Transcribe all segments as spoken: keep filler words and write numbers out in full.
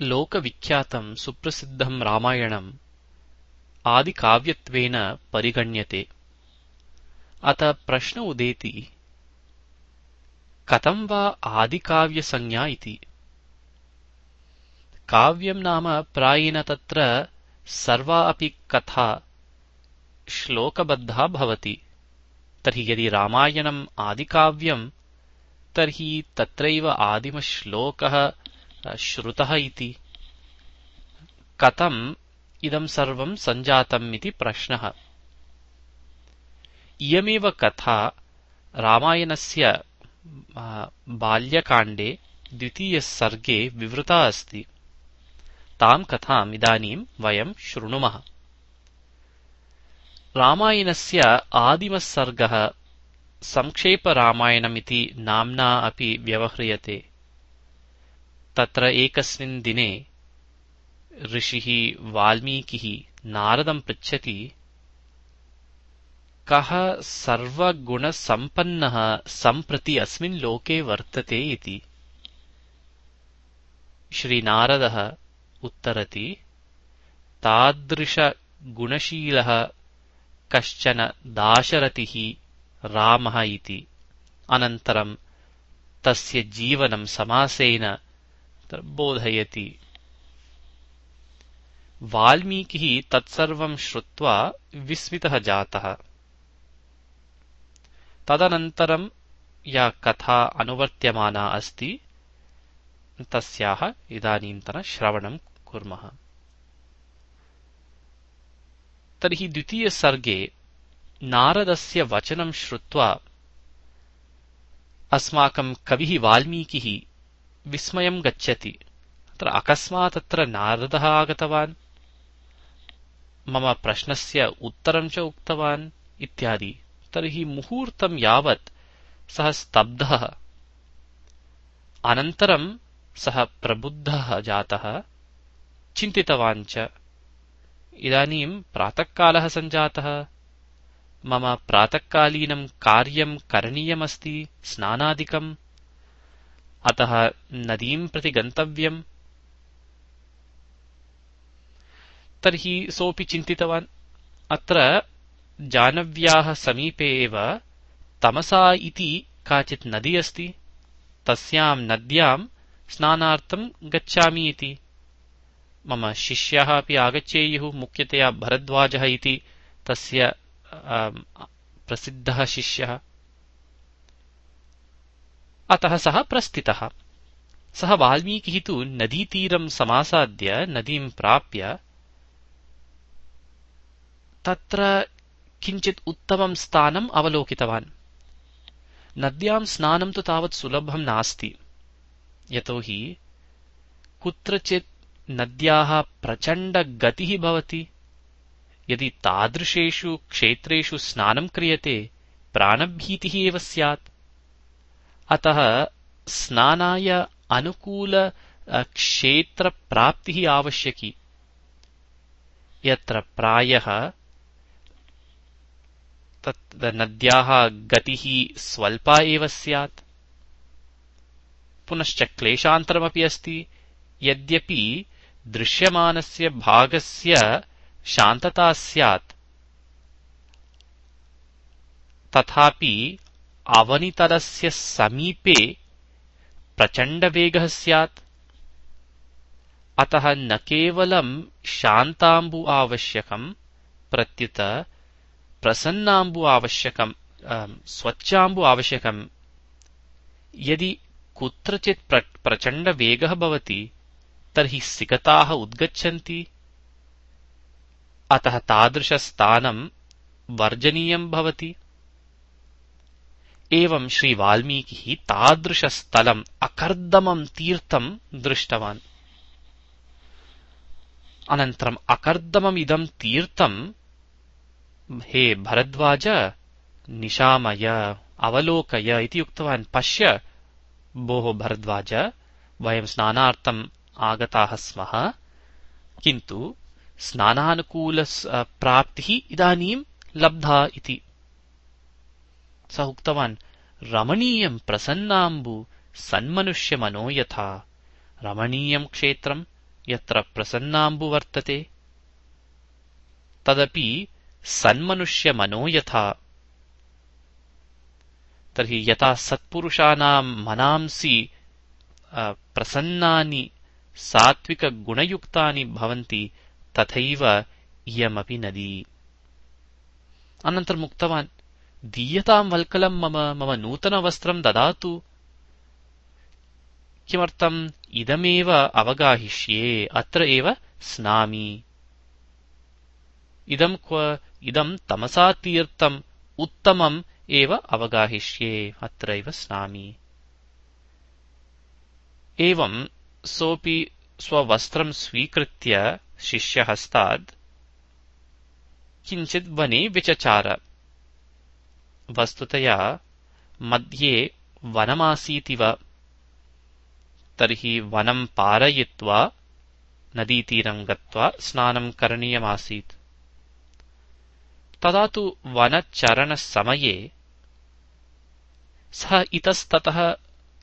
लोकविख्यातं सुप्रसिद्धं रामायणम् आदिकाव्यत्वेन परिगण्यते। अतः प्रश्न उदेति, कथं वा आदिकाव्यसंज्ञा इति। काव्यं नाम प्रायेण तत्र सर्वा अपि कथा श्लोकबद्धा भवति। तर्हि यदि रामायणम् आदिकाव्यं तर्हि तत्रैव आदिमश्लोकः श्रुतः इति। कथम् इदं सर्वं सञ्जातम् इति प्रश्नः। इयमेव कथा रामायणस्य बाल्यकाण्डे द्वितीयसर्गे विवृता अस्ति। तां कथाम् इदानीं वयं शृणुमः। रामायणस्य आदिमसर्गः संक्षेपरामायणमिति नाम्ना अपि व्यवह्रियते। तत्र एकस्मिन् दिने ऋषिः वाल्मीकिः नारदं पृच्छति, कः सर्वगुणसम्पन्नः सम्प्रति अस्मिन् लोके वर्तते इति। श्रीनारदः उत्तरति, तादृशगुणशीलः कश्चन दाशरथिः रामः इति। अनन्तरं तस्य जीवनं समासेन बोधयति। वाल्मीकिः तत्सर्वं श्रुत्वा विस्मितः जातः। तदनन्तरं या कथा अनुवर्त्यमाना अस्ति तस्याः इदानीन्तन श्रवणं कुर्मः। तर्हि द्वितीयसर्गे नारदस्य वचनं श्रुत्वा अस्माकं कविः वाल्मीकिः विस्मयं गच्छति। अत्र अकस्मात् अत्र नारदः आगतवान्, मम प्रश्नस्य उत्तरं च उक्तवान् इत्यादि। तर्हि मुहूर्तं यावत् सः स्तब्धः। अनन्तरं सः प्रबुद्धः जातः, चिन्तितवान् च, इदानीं प्रातःकालः सञ्जातः, मम प्रातःकालीनं कार्यं करणीयमस्ति, स्नानादिकम्, अतः नदीं प्रति गन्तव्यम्। तर्हि सोऽपि चिन्तितवान्, अत्र जानव्याः समीपे एव तमसा इति काचित् नदी अस्ति, तस्यां नद्यां स्नानार्थं गच्छामि इति। मम शिष्यः अपि आगच्छेयुः, मुख्यतया भरद्वाजः इति तस्य प्रसिद्धः शिष्यः। अतः सः प्रस्थितः। सः वाल्मीकिः तु नदीतीरं समासाद्य नदीं प्राप्य तत्र किञ्चित् उत्तमं स्थानम् अवलोकितवान्। नद्यां स्नानं तु तावत् सुलभं नास्ति, यतोहि कुत्रचित् नद्याः प्रचण्डगतिः भवति। यदि तादृशेषु क्षेत्रेषु स्नानं क्रियते प्राणभीतिः एव स्यात्। अतः स्नानाय अनुकूलक्षेत्रप्राप्तिः आवश्यकी, यत्र प्रायः तत् नद्याः गतिः स्वल्पा एव स्यात्। पुनश्च क्लेशान्तरमपि अस्ति। यद्यपि दृश्यमानस्य भागस्य शान्तता स्यात्, तथापि अवनितलस्य समीपे प्रचण्डवेगः स्यात्। अतः न केवलं शान्ताम्बु आवश्यकं, प्रत्युत प्रसन्नाम्बु आवश्यकं, स्वच्छाम्बु आवश्यकं। यदि कुत्रचित् प्र प्रचण्डवेगः भवति तर्हि सिकताः उद्गच्छन्ति। अतः तादृशस्थानं वर्जनीयं भवति। एवं श्रीवाल्मीकिः तादृशस्थलम् अकर्दमं तीर्थं दृष्टवान्। अनन्तरम् अकर्दममिदं तीर्थं हे भरद्वाज निशामय, अवलोकय इति उक्तवान्। पश्य भोः भरद्वाज, वयं स्नानार्थम् आगताः स्मः, किन्तु स्नानानुकूलप्राप्तिः इदानीं लब्धा इति। सः उक्तवान्, रमणीयं प्रसन्नाम्बु सन्मनुष्यमनो यथा। रमणीयं क्षेत्रं, यत्र प्रसन्नाम्बु वर्तते तदपि सन्मनुष्यमनो यथा। तर्हि यथा सत्पुरुषाणां मनांसि प्रसन्नानि सात्विकगुणयुक्तानि भवन्ति तथैव इयमपि नदी। अनन्तरम् उक्तवान्, दीयतां वल्कलं मम मम नूतनवस्त्रं ददातु। किमर्थम्? इदमेव अवगाहिष्ये, अत्र एव स्नामि। इदं क्व? इदं तमसा तीर्थम् उत्तमम् एव अवगाहिष्ये, अत्रैव स्नामि। एवं सोऽपि स्ववस्त्रं स्वीकृत्य शिष्यहस्तात् किञ्चित् वने विचचार। वस्तुतया मध्ये वनमासीतिव। तर्हि वनं पारयित्वा नदीतीरं गत्वा स्नानं करणीयमासीत्। तदा तु वनचरणसमये सः इतस्ततः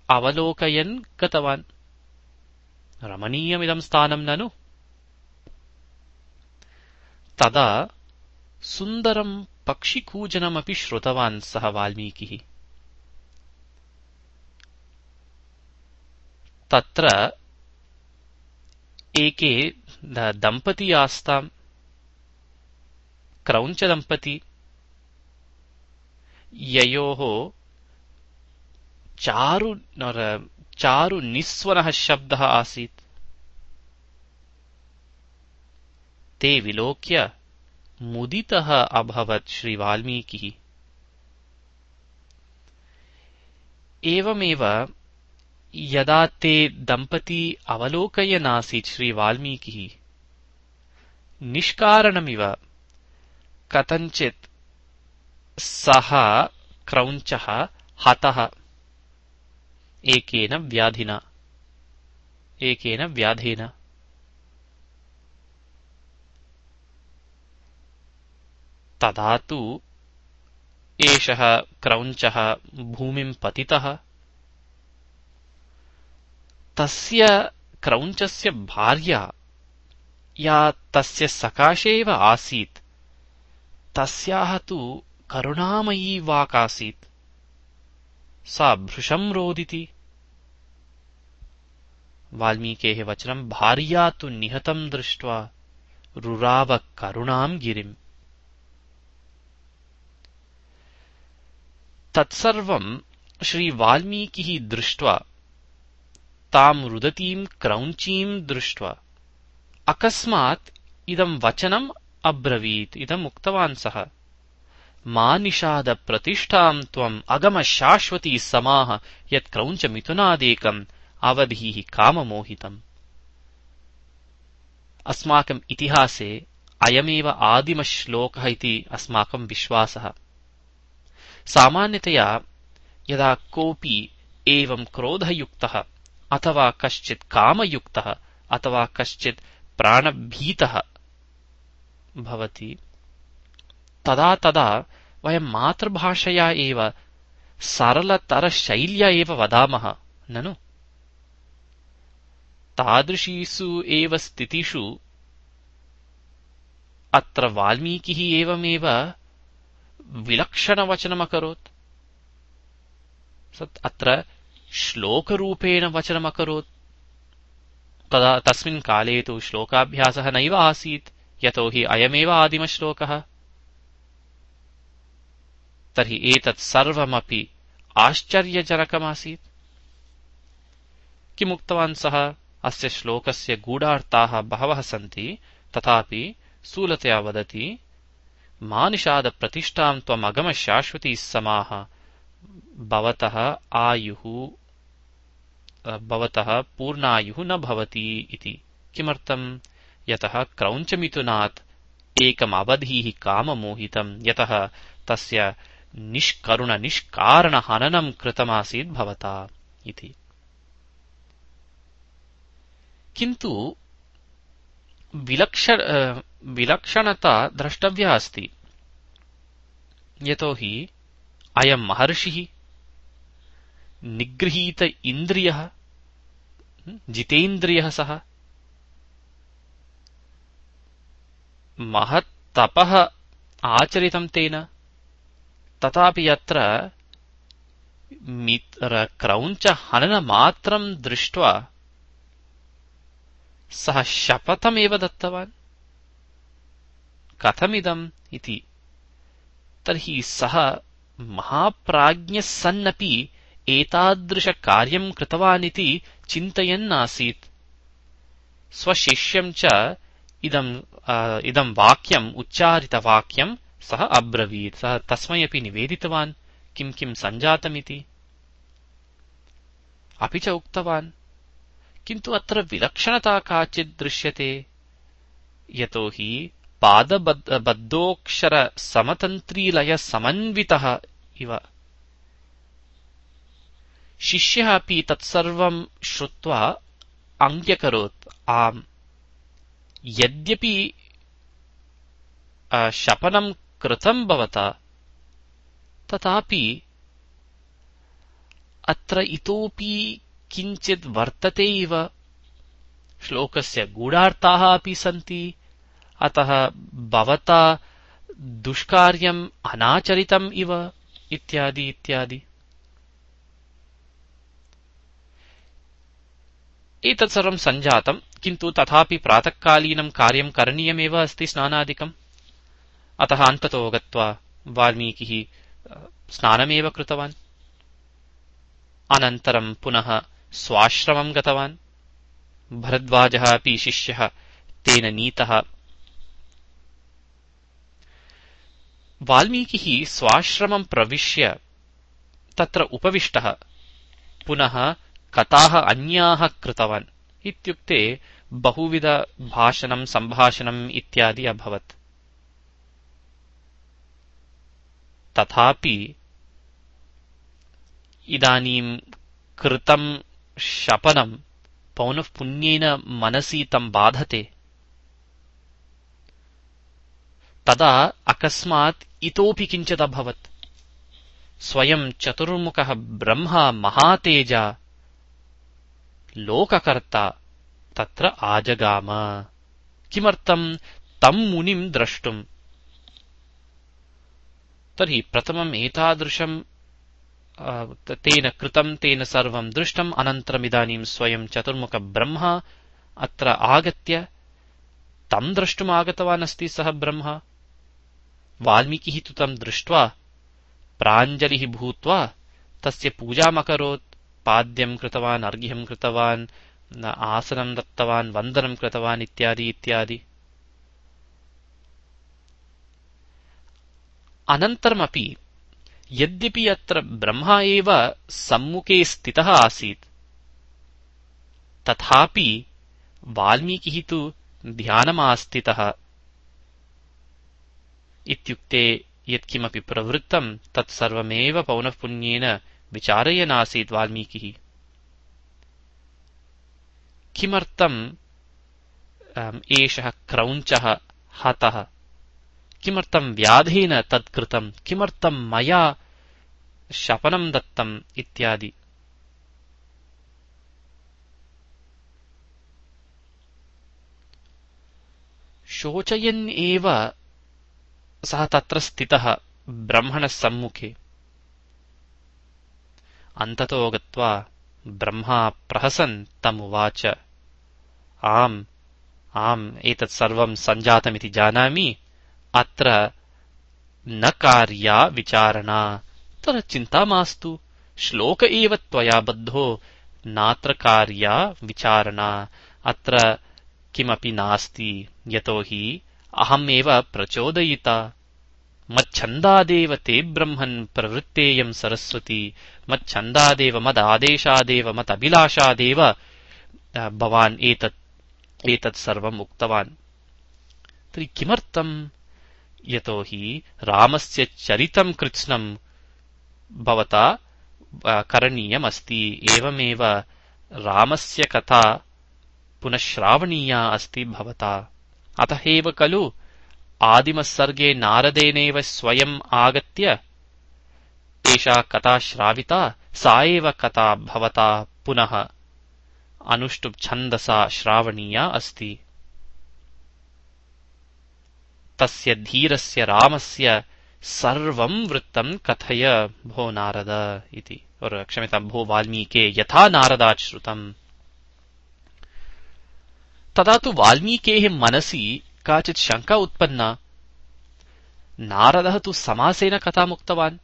अवलोकयन् गतवान्। रमणीयमिदं स्थानं ननु? तदा सुन्दरं पक्षिकूजनमपि श्रुतवान् सः वाल्मीकिः। तत्र एके दम्पती आस्ताम्, क्रौञ्चदम्पती, ययोः चारु चारु निस्वनः शब्दः आसीत्। ते विलोक्य मुदितः अभवत् श्रीवाल्मीकिः। एवमेव यदा ते दम्पती अवलोकयनासीत् श्रीवाल्मीकिः, निष्कारणमिव कथञ्चित् सः क्रौञ्चः हतः एकेन व्याधिना एकेन व्याधेन। तदा तु एषः क्रौञ्चः भूमिं पतितः। तस्य क्रौञ्चस्य भार्या, या तस्य सकाशे एव आसीत्, तस्याः तु करुणामयी वाक्। सा भृशं रोदिति। वाल्मीकेः वचनं भार्या तु निहतं दृष्ट्वा रुराव करुणां गिरिम्। तत्सर्वं श्रीवाल्मीकिः दृष्ट्वा, तां रुदतीं क्रौञ्चीं दृष्ट्वा अकस्मात् इदं वचनम् अब्रवीत्। इदम् उक्तवान् सः, मा निषाद प्रतिष्ठां त्वम् अगम शाश्वती समाः यत् क्रौञ्चमिथुनादेकम् अवधीः काममोहितम्। अस्माकम् इतिहासे अयमेव आदिमश्लोकः इति अस्माकं विश्वासः। सामान्यतया यदा कोऽपि एवं क्रोधयुक्तः अथवा कश्चित् कामयुक्तः अथवा कश्चित् प्राणभीतः भवति, तदा तदा वयं मातृभाषया एव सरलतरशैल्या एव वदामः ननु? तादृशीषु एव स्थितिषु अत्र वाल्मीकिः एवमेव विलक्षणवचनमकरोत्। अत्र श्लोकरूपेण वचनमकरोत्। तदा तस्मिन् काले तु श्लोकाभ्यासः नैव आसीत्, यतो हि अयमेव आदिमश्लोकः। तर्हि एतत् सर्वमपि आश्चर्यजनकमासीत्। किमुक्तवान् सः? अस्य श्लोकस्य गूढार्थाः बहवः सन्ति, तथापि स्थूलतया वदति, मा निषाद प्रतिष्ठां त्वम् अगम शाश्वती समाः भवतः आयुः भवतः पूर्णायुः न भवति इति। किमर्थम्? यतः क्रौञ्चमिथुनात् एकम् अवधीः काममोहितम्, यतः तस्य निष्करुण निष्कारणहननं कृतमासीत् भवता इति। किन्तु विलक्षण विलक्षणता द्रष्टव्या अस्ति, यतो हि अयं महर्षिः निगृहीत इन्द्रियः, जितेन्द्रियः सः। महत् तपः आचरितं तेन, तथापि अत्र क्रौञ्चहननमात्रं दृष्ट्वा सः शपथमेव दत्तवान्। कथमिदम् इति? तर्हि सः महाप्राज्ञः सन्नपि एतादृशकार्यं कृतवानिति चिन्तयन्नासीत्। स्वशिष्यं च इदम् इदं वाक्यम् उच्चारितवाक्यं सः अब्रवीत्। सः तस्मै अपि निवेदितवान् किं किं सञ्जातमिति, अपि च उक्तवान्। किन्तु अत्र विलक्षणता काचित् दृश्यते। यतोहि पादबद्धोऽक्षरसमतन्त्रीलयसमन्वितः इव। शिष्यः अपि तत्सर्वं श्रुत्वा अङ्ग्यकरोत्। आम्, यद्यपि शपनं कृतं भवता, तथापि अत्र इतोपि किञ्चित् वर्तते इव। श्लोकस्य गूढार्थाः अपि सन्ति। अतः भवता दुष्कार्यम् अनाचरितम् इव इत्यादि इत्यादि। एतत् सर्वं सञ्जातम्, किन्तु तथापि प्रातःकालीनं कार्यं करणीयमेव अस्ति, स्नानादिकम्। अतः अन्ततो गत्वा वाल्मीकिः स्नानमेव कृतवान्। अनन्तरं पुनः स्वाश्रमं गतवान्। भरद्वाजः अपि शिष्यः तेन नीतः। वाल्मीकिः स्वाश्रमं प्रविश्य तत्र उपविष्टः। पुनः कथाः अन्याः कृतवान्। इत्युक्ते बहुविधभाषणं सम्भाषणम् इत्यादि अभवत्। तथापि इदानीं कृतं शपनं पौनःपुन्येन मनसि तं बाधते। तदा अकस्मात् इतोपि किञ्चिदभवत्। स्वयं चतुर्मुखः ब्रह्मा महातेजा लोककर्ता तत्र आजगाम। किमर्थं? तं मुनिं द्रष्टुम्। तर्हि प्रथमम् एतादृशं तेन कृतं, तेन सर्वं दृष्टम्। अनन्तरमिदानीं स्वयं चतुर्मुखब्रह्मा अत्र आगत्य तं द्रष्टुम् आगतवान् अस्ति। सः ब्रह्मा। वाल्मीकिः तु तं दृष्ट्वा प्राञ्जलिः भूत्वा तस्य पूजामकरोत्। पाद्यं कृतवान्, अर्घ्यं कृतवान्, आसनं दत्तवान्, वन्दनं कृतवान् इत्यादि इत्यादि। अनन्तरमपि यद्यपि अत्र ब्रह्मा एव सम्मुखे स्थितः आसीत्, तथापि वाल्मीकिः तु ध्यानमास्थितः। इत्युक्ते यत्किमपि प्रवृत्तं तत्सर्वमेव पौनःपुन्येन विचारयनासीत् वाल्मीकिः। किमर्थम् एषः क्रौञ्चः हतः? किमर्थं व्याधेन तत्कृतं? किमर्थं मया शपनं दत्तम् इत्यादि। शोचयन् एव सः तत्र स्थितः ब्रह्मणः सम्मुखे। अन्ततो गत्वा ब्रह्मा प्रहसन् तमुवाच, आम् आम् एतत् सर्वं सञ्जातमिति जानामि। अत्र न कार्या विचारणा। तत्र चिन्ता मास्तु। श्लोक एव त्वया बद्धो, नात्र कार्या विचारणा। अत्र किमपि नास्ति। यतोहि अहमेव प्रचोदयिता। मच्छन्दादेव ते ब्रह्मन् प्रवृत्तेयं सरस्वती। मच्छन्दादेव मदादेशादेव मदभिलाषादेव भवान् एतत् एतत् सर्वम् उक्तवान्। तर्हि किमर्थम्? यतोहि रामस्य चरितं कृत्स्नं भवता करणीयमस्ति। एवमेव रामस्य कथा पुनः श्रावणीया अस्ति भवता। अतः एव खलु आदिमसर्गे नारदेनैव स्वयम् आगत्य एषा कथा श्राविता। सा एव कथा भवता पुनः अनुष्टुप् छन्दसा श्रावणीया अस्ति। तस्य धीरस्य रामस्य सर्वं वृत्तं कथय भो नारद इति। और क्षम्यतां भो वाल्मीके यथा नारदात् श्रुतम्। तदा तु वाल्मीकेः मनसि काचित् शङ्का उत्पन्ना। नारदः तु समासेन कथामुक्तवान्,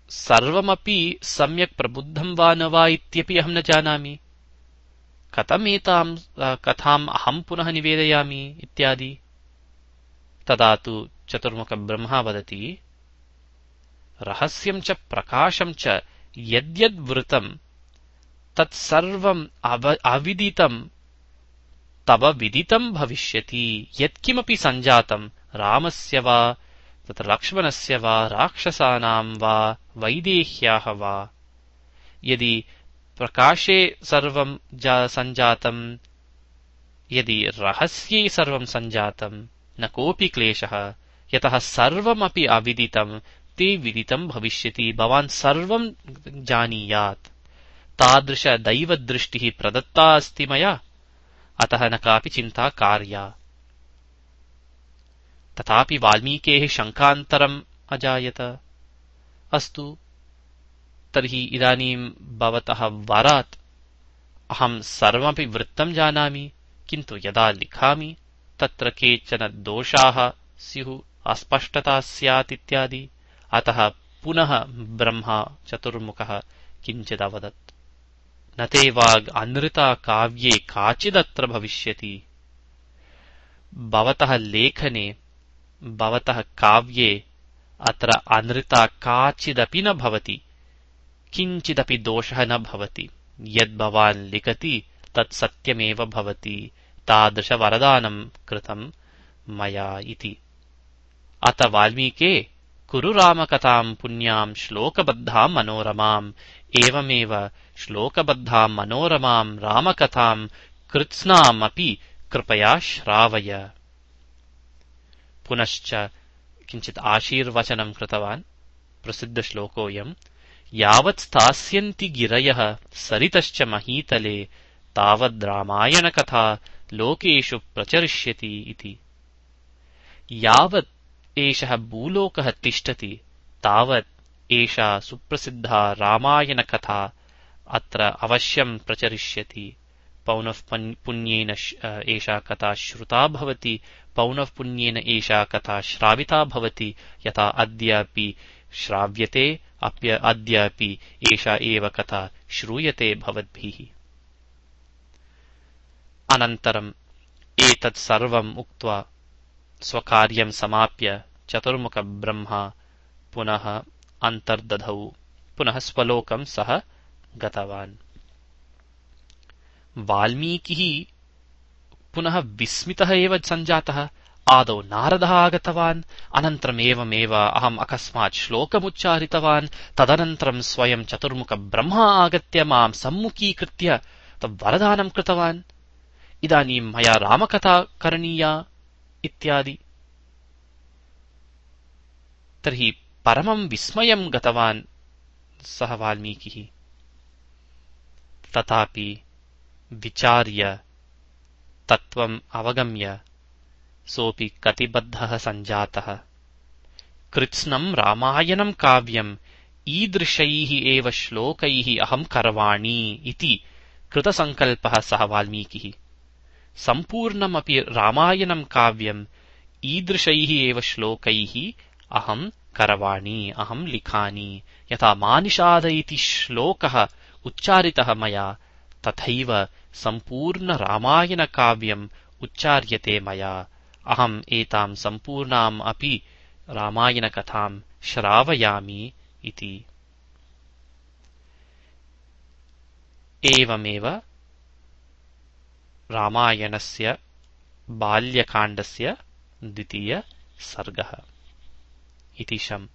सर्वमपि सम्यक् प्रबुद्धं वा न वा इत्यपि अहं न जानामि, कथमेतां कथाम् अहं पुनः निवेदयामि इत्यादि। तदा तु चतुर्मुखब्रह्मा वदति, रहस्यं च प्रकाशं च यद्यद्वृतं तत्सर्वम् अविदितं तव विदितं भविष्यति। यत्किमपि सञ्जातं रामस्य वा तत्र लक्ष्मणस्य वा राक्षसानां वा वैदेह्याः वा, यदि प्रकाशे सर्वं सञ्जातं, यदि रहस्ये सर्वं सञ्जातं, न कोऽपि क्लेशः, यतः सर्वमपि अविदितं ते विदितं भविष्यति। भवान् सर्वं जानीयात्। तादृश दैवदृष्टिः प्रदत्ता अस्ति मया, अतः न कापि चिन्ता कार्या। तथापि वाल्मीकेः शङ्कान्तरम् अजायत। अस्तु तर्हि इदानीं भवतः वरात् अहं सर्वमपि वृत्तं जानामि, किन्तु यदा लिखामि तत्र केचन दोषाः स्युः, अस्पष्टता स्यात् इत्यादि। अतः पुनः ब्रह्मा चतुर्मुखः किञ्चिदवदत्। न ते वाग् अनृता काव्ये काचिदत्र भविष्यति। भवतः लेखने, भवतः काव्ये अत्र अनृता काचिदपि न भवति, किञ्चिदपि दोषः न भवति। यद्भवान् लिखति तत् सत्यमेव भवति। तादृशवरदानं कृतं मया इति। अत वाल्मीके कुरु रामकथां पुण्यां श्लोकबद्धां मनोरमाम्। एवमेव श्लोकबद्धां मनोरमां रामकथां कृत्स्नामपि कृपया श्रावय। पुनश्च किञ्चित् आशीर्वचनं कृतवान्। प्रसिद्धश्लोकोऽयम्। यावत् स्थास्यन्ति गिरयः सरितश्च महीतले तावद् रामायणकथा लोकेषु प्रचरिष्यति इति। यावत् एषः भूलोकः तिष्ठति तावत् एषा सुप्रसिद्धा रामायणकथा अत्र अवश्यं प्रचरिष्यति। पौनः पुण्येन एषा कथा श्रुता भवति, पौनः पुण्येन एषा कथा श्राविता भवति। यथा अद्यापि श्राव्यते, अद्यापि एषा एव कथा श्रूयते भवद्भिः। अनन्तरम् एतत् सर्वम् उक्त्वा स्वकार्यं समाप्य चतुर्मुखब्रह्मा पुनः अन्तर्दधौ, पुनः स्वलोकं सः गतवान्। वाल्मीकिः पुनः विस्मितः एव सञ्जातः। आदौ नारदः आगतवान्, अनन्तरम् एवमेव अहम् अकस्मात् श्लोकमुच्चारितवान्, तदनन्तरं स्वयं चतुर्मुखब्रह्मा आगत्य मां सम्मुखीकृत्य वरदानं कृतवान्। इदानीं मया रामकथा करणीया इत्यादि। तर्हि परमं विस्मयं गतवान् सः वाल्मीकिः। तथापि विचार्य तत्त्वम् अवगम्य सोऽपि कटिबद्धः सञ्जातः। कृत्स्नं रामायणं काव्यम् ईदृशैः एव श्लोकैः अहं करवाणि इति कृतसङ्कल्पः सः वाल्मीकिः। सम्पूर्णमपि रामायणं काव्यम् ईदृशैः एव श्लोकैः अहं करवाणि, अहं लिखानि। यथा मानिषाद इति श्लोकः उच्चारितः मया, तथैव सम्पूर्णरामायणकाव्यम् उच्चार्यते मया। अहम् एतां सम्पूर्णाम् अपि रामायणकथां श्रावयामि इति। एवमेव रामायणस्य बाल्यकाण्डस्य द्वितीय सर्गः इति शम्।